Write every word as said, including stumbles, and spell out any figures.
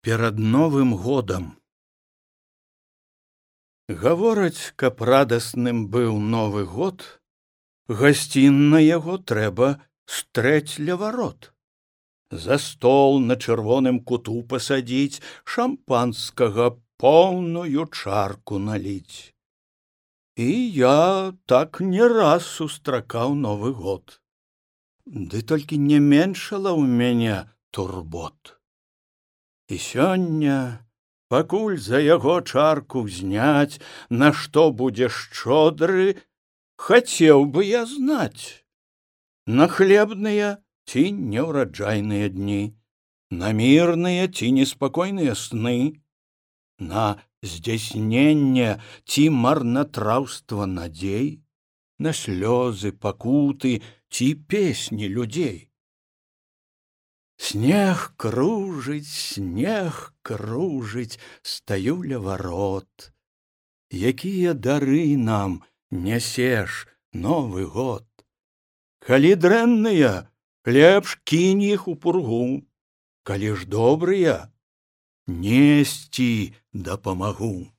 Перад Новым годам. Гавораць, каб радасным быў Новы год, гасцін на яго трэба стрэць ля варот. За стол на чырвоным куту пасадзіць, шампанскага поўную чарку наліць. І я так не раз сустракаў Новы год. Ды толькі не меншала ў мяне турбот. І сёння, пакуль за яго чарку ўзняць, на што будзе шчодры, хацеў бы я знаць. На хлебныя ці неўраджайныя дні, на мірныя ці неспакойныя сны, на здзяйсненне ці марнатраўства надзей, на слёзы, пакуты ці песні людзей. Снег кружыць, снег кружыць, стаю ля варот. Якія дары нам нясеш, Новы год? Калі дрэнныя, лепш кінь іх у пургу, калі ж добрыя, несці дапамагу.